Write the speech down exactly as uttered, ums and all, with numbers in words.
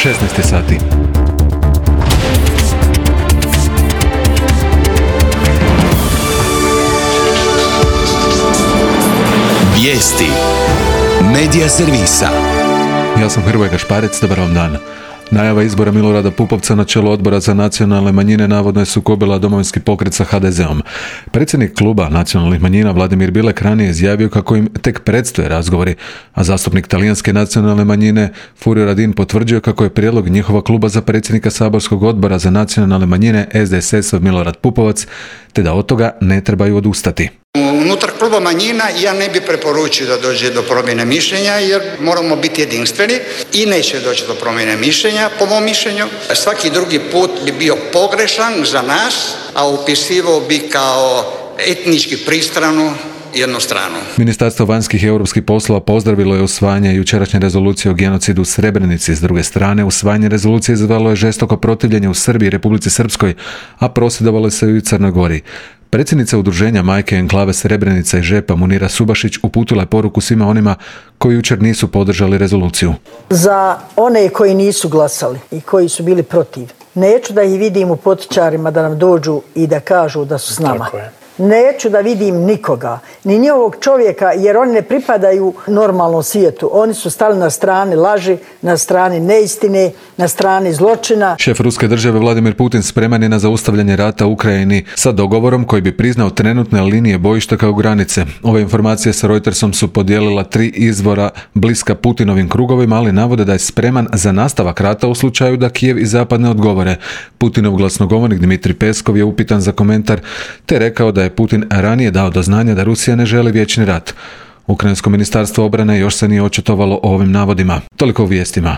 šesnaest je sati. Vijesti Medija servisa. Ja sam Hrvoje Gašparec, dobar vam dan. Najava izbora Milorada Pupovca na čelo Odbora za nacionalne manjine navodno je sukobila Domovinski pokret sa ha de zeom. Predsjednik kluba nacionalnih manjina Vladimir Bilek ranije izjavio kako im tek predstoje razgovori, a zastupnik talijanske nacionalne manjine Furio Radin potvrđuje kako je prijedlog njihova kluba za predsjednika saborskog odbora za nacionalne manjine es de es es Milorad Pupovac, te da od toga ne trebaju odustati. Unutar kluba manjina ja ne bi preporučio da dođe do promjene mišljenja jer moramo biti jedinstveni i neće doći do promjene mišljenja po mom mišljenju. Svaki drugi put bi bio pogrešan za nas, a upisivao bi kao etnički pristranu jednu stranu. Ministarstvo vanjskih i europskih poslova pozdravilo je usvajanje jučerašnje rezolucije o genocidu u Srebrenici. S druge strane, usvajanje rezolucije izazvalo je žestoko protivljenje u Srbiji i Republici Srpskoj, a prosvjedovalo se i u Crnoj Gori. Predsjednica udruženja Majke enklave Srebrenica i Žepa Munira Subašić uputila je poruku svima onima koji jučer nisu podržali rezoluciju. Za one koji nisu glasali i koji su bili protiv, neću da ih vidim u potičarima da nam dođu i da kažu da su s nama. Neću da vidim nikoga, ni njihovog čovjeka, jer oni ne pripadaju normalnom svijetu. Oni su stali na strani laži, na strani neistine, na strani zločina. Šef ruske države Vladimir Putin spreman je na zaustavljanje rata u Ukrajini sa dogovorom koji bi priznao trenutne linije bojišta kao granice. Ove informacije sa Reutersom su podijelila tri izvora bliska Putinovim krugovima, ali navode da je spreman za nastavak rata u slučaju da Kijev i Zapad ne odgovore. Putinov glasnogovornik Dmitrij Peskov je upitan za komentar, te rekao da je Putin ranije dao do znanja da Rusija ne želi vječni rat. Ukrajinsko ministarstvo obrane još se nije očitovalo o ovim navodima. Toliko u vijestima.